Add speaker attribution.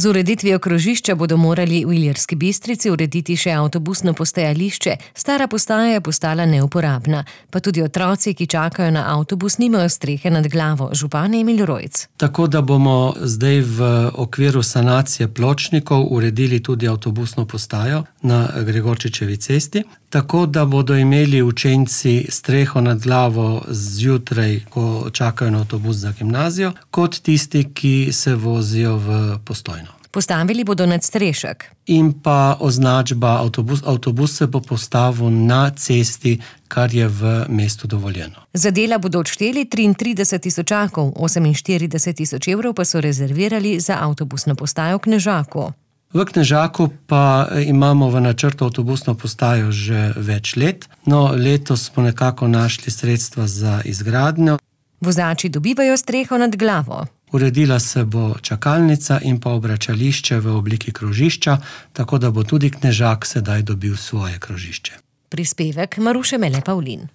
Speaker 1: Z ureditvijo krožišča bodo morali v Ilirski Bistrici urediti še avtobusno postajališče, stara postaja je postala neuporabna. Pa tudi otroci, ki čakajo na avtobus, nimajo strehe nad glavo. Župan Emil Rojc.
Speaker 2: Tako da bomo zdaj v okviru sanacije pločnikov uredili tudi avtobusno postajo na Gregorčičevi cesti, tako da bodo imeli učenci streho nad glavo zjutraj, ko čakajo na avtobus za gimnazijo, kot tisti, ki se vozijo v Postojno.
Speaker 1: Postavili bodo nadstrešek.
Speaker 2: In pa označba avtobus se bo postavil na cesti, kar je v mestu dovoljeno.
Speaker 1: Za dela bodo odšteli 33 tisočakov, 48 tisoč evrov pa so rezervirali za avtobusno postajo v Knežaku.
Speaker 2: V Knežaku pa imamo v načrtu avtobusno postajo že več let, no letos smo nekako našli sredstva za izgradnjo.
Speaker 1: Vozači dobivajo streho nad glavo.
Speaker 2: Uredila se bo čakalnica in pa obračališče v obliki krožišča, tako da bo tudi Knežak sedaj dobil svoje krožišče.
Speaker 1: Prispevek Maruše Mele Pavlin.